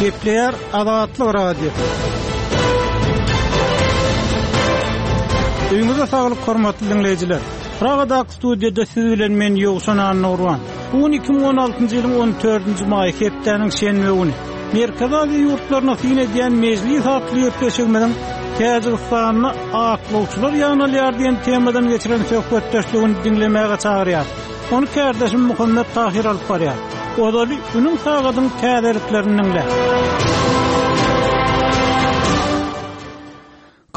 Gepleýär Azatlyk Radiosy. Öýüňize saglyk hormatly diňleýjiler. Pragadaky studiýada siz bilen men Ýowşan Annagurban. Bu gün 2016-njy ýylyň 14-nji maýy hepdäniň şenbe güni. Merkezi Aziýa ýurtlaryna syn edýän Mejlis atly gepleşigimiziň Täjigistanda aklawçylar ýygnalýar diýen temadan geçiren söhbetdeşligini diňlemäge çagyrýar. Ony kärdeşim Muhammet Tahyr alyp barýar. Ozaly günüň sagadyň täzeliklerini diňle.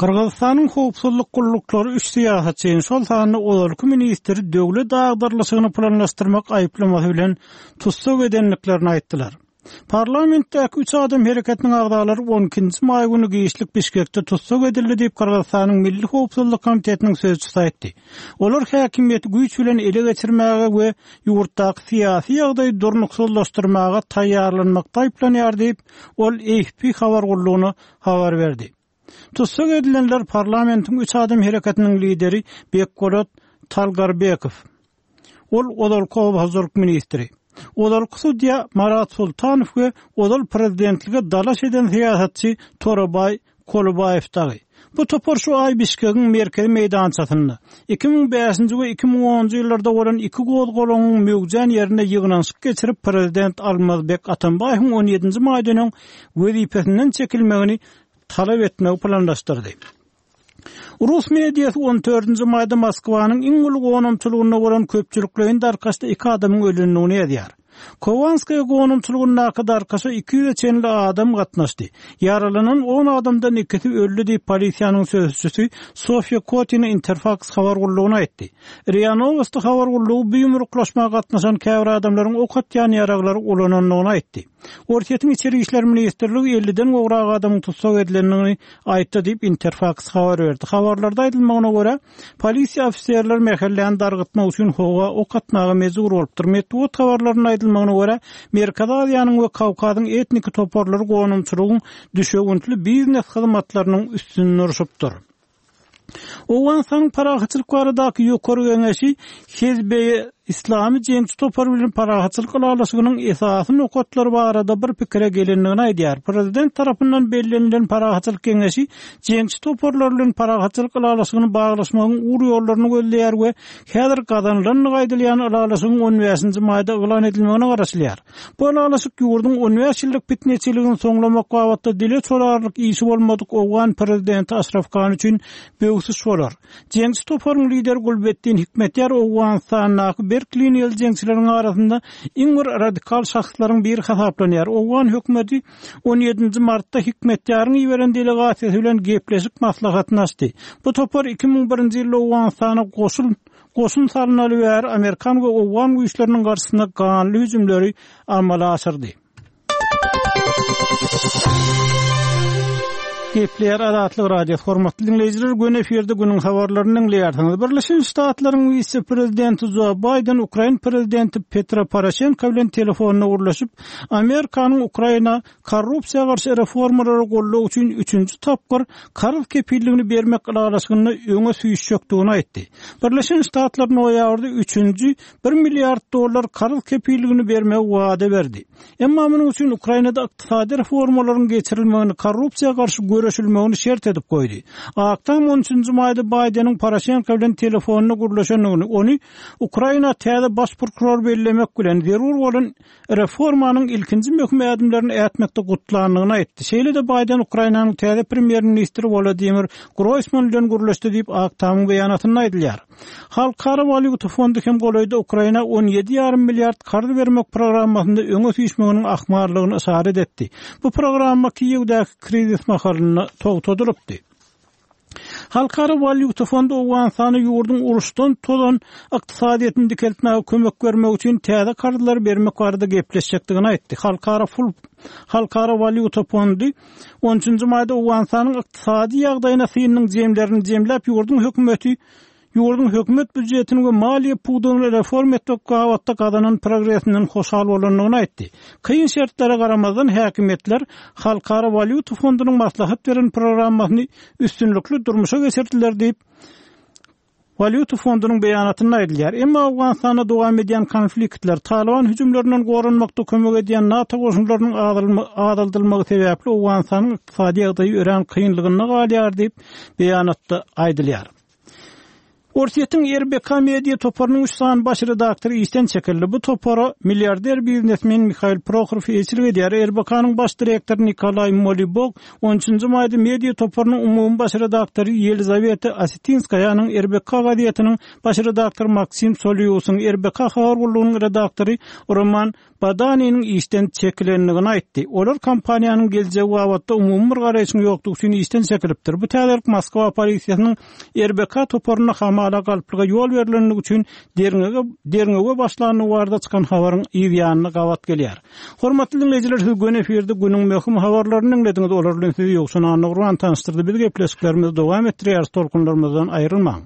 Gyrgyzystanyň howpsuzlyk gulluklary üç syýasatçyny, şol sanda ozalky ministri döwlet agdarylyşygyny planlaşdyrmak aýyplamasy bilen tussag edendiklerini aýtdylar. Parlamentdäki Üç adam hereketiniň agzalary on ikinji maý güni giçlik Bişkekde tussag edildi diýip, Gyrgyzystanyň Milli howpsuzlyk komitetiniň sözçüsi aýtdy. Olar häkimiýeti güýç bilen ele geçirmäge we ýurtdaky syýasy ýagdaýy durnuksyzlaşdyrmaga taýýarlanmakda aýyplanýar diýip, ol AFP habar gullugyna habar berdi. Tussag edilenler parlamentiň Üç adam hereketiniň lideri Bekbolat Talgarbekow, Ol ozalky oba hojalyk ministri, ozalky sudýa Marat Sultanow we ozal prezidentlige dalaş eden syýasatçy Torabaý Kolubaýew dagy. Bu topar şu aý Bişkegiň merkezi meýdançasynda, 2005-nji we 2010-njy ýyllarda bolan iki gozgalaňyň möwjän ýerinde ýygnanyşyk geçirip, prezident Almazbek Atambaýewiň on ýedinji maýdan öň wezipesinden çekilmegini talap etmegi planlaşdyrdy. Rus mediasy on dördünji maýda Moskwanyň iň uly gonamçylygynda bolan köpçülikleýin darkaşda iki adamyň ölendigini ýazýar. Kowanskaýa gonamçylygyndaky darkaşa iki ýüze çenli adam gatnaşdy. Ýaralanan on adamdan ikisi öldi diýip, polisiýanyň sözçüsi Sofýa Kotina Interfaks habar gullugyna aýtdy. Ria Nowosti habar gullugy bu ýumruklaşma gatnaşan käbir adamlaryň ok atýan ýaraglary ulanandygyny aýtdy. Orsýetiň Içeri işler ministrligi elliden gowrak adamyň tussag edilendigini aýtdy diýip, Interfaks habar berdi. Habarlarda aýdylmagyna görä, polisiýa ofiserleri mähelläni dargytmak üçin howa ok atmaga mejbur bolupdyr. Metbugat habarlarynda aýdylmagyna görä, Merkezi Aziýanyň we Kawkazyň etniki toparlary gonamçylygyň düşewüntli biznes hyzmatlarynyň üstünde urşupdyr. Owganystanyň Parahatçylyk baradaky Ýokary Geňeşi Hezb-e Islami jeňçi topary bilen parahatçylyk ylalaşygynyň esasy nokatlary barada bir pikire gelendigini aýdýar. Prezident tarapyndan bellenilen Parahatçylyk Geňeşi jeňçi toparlar bilen parahatçylyk ylalaşygyny baglaşmagyň ugur-ýollaryny gözleýär we häzir gazanylandygy aýdylýan ylalaşygyň on bäşinji maýda yglan edilmegine garaşylýar. Bu ylalaşyk ýurduň on bäş ýyllyk pitneçiligini soňlamak babatda dile çolarlyk işi bolmadyk owgan prezidenti Aşraf Gani üçin böwsüş bolar. Jeňçi toparyň lideri Gulbeddin Hikmetýar Owganystandaky berk liniýaly jeňçileriň arasynda iň bir radikal şahslaryň biri hasaplanýar. Owgan hökümeti on ýedinji martda Hikmetýaryň iberen delegasiýasy bilen gepleşik maslahatyny açdy. Bu topar 2001-nji ýylda Owganystana goşul Goşun salnaly bäri amerikan we owgan güýçleriniň garşysyna ganly hüjümleri amala aşyrdy. Gepleýär Azatlyk Radiosy, hormatly diňleýjiler, göni efirde günüň habarlaryny diňleýärsiňiz. Birleşen Ştatlaryň wise-prezidenti Jo Baýden ukrain prezidenti Petro Poroşenko bilen telefonda gürleşip, Amerikanyň Ukraina Korrupsiýa garşy reformalara goldaw üçin üçünji tapgyr karz kepilligini bermek ylalaşygynda öňe süýşjekdigini aýtdy. Birleşen Ştatlar noýabrda üçünji bir milliard dollar karz kepilligini bermegi wada berdi. Emma munuň üçin Ukrainada ykdysady reformalaryň geçirilmegini, korrupsiýa garşy göreşilmegini şert edip goýdy. Ak Tam on üçünji maýda Baýdeniň Poroşenko bilen telefonda gürleşendigini, ony Ukraina täze baş prokuror bellemek bilen, zerur bolan reformanyň ilkinji möhüm ädimlerini ätmekde gutlandygyny aýtdy. Şeýle-de Baýden Ukrainanyň täze premýer-ministri Wolodymyr Groýsman bilen gürleşdi diýip, Ak Tamyň beýanatynda aýdylýar. Halkara walýuta fondy hem golaýda Ukraina on ýedi ýarym milliard karz bermek programmasynda öňe süýşmeginiň ahmallygyny yşarat etdi. Bu programma Kiýewdäki krizis mahalynda togtadylypdy. Halkara walýuta fondy Owganystana ýurduň uruşdan tozan ykdysadyýetini dikeltmäge kömek bermek üçin täze karzlary bermek barada gepleşjekdigini aýtdy. Halkara pul Halkara walýuta fondy on üçünji maýda Owganystanyň ykdysady ýagdaýyna synynyň jemlerini jemläp, ýurduň hökümeti Ýurduň hökümet býujetini we maliýe pudagyny reforma etmek babatda gazanan progresinden hoşal bolandygyny aýtdy. Kyn şertlere garamazdan, häkimiýetler Halkara walýuta fondunyň maslahat beren programmasyny üstünlikli durmuşa geçirdiler diýip, Walýuta fondunyň beýanatynda aýdylýar. Emma Owganystanda dowam edýän konfliktler, Talyban hüjümlerinden goranmakda kömek edýän NATO goşunlarynyň azaldylmagy sebäpli Owganystanyň ykdysady ýagdaýy örän kynlygynda galýar diýip, beýanatda aýdylýar. Orsýetiň RBK media toparynyň üç sany baş redaktory işden çekildi. Bu topara milliarder biznesmen Mihail Prohorow eýeçilik edýär. RBK-nyň baş direktory Nikolaý Molibok on üçünji maýda media toparynyň umumy baş redaktory Ýelizaweta Osetinskaýanyň, RBK gazetiniň baş redaktory Maksim Soliusyň, RBK habar gullugynyň redaktory Roman Badaniniň işden çekilendigini aýtdy. Olar kompaniýanyň geljegi babatda umumy bir garaýşyň ýokdugy üçin işden çekilipdir. Bu täzelik Moskwa polisiýasynyň RBK toparynda hamala galplyga ýol berlendigi üçin derňege derňewe başlandygy barada çykan habaryň yz ýanyna gabat gelýär. Hormatly diňleýjiler, siz göni efirde günüň möhüm habarlaryny diňlediňiz. Olar bilen sizi Ýowşan Annagurban tanyşdyrdy. Biz gepleşiklerimizi dowam etdirýäris, tolkunlarymyzdan aýrylmaň.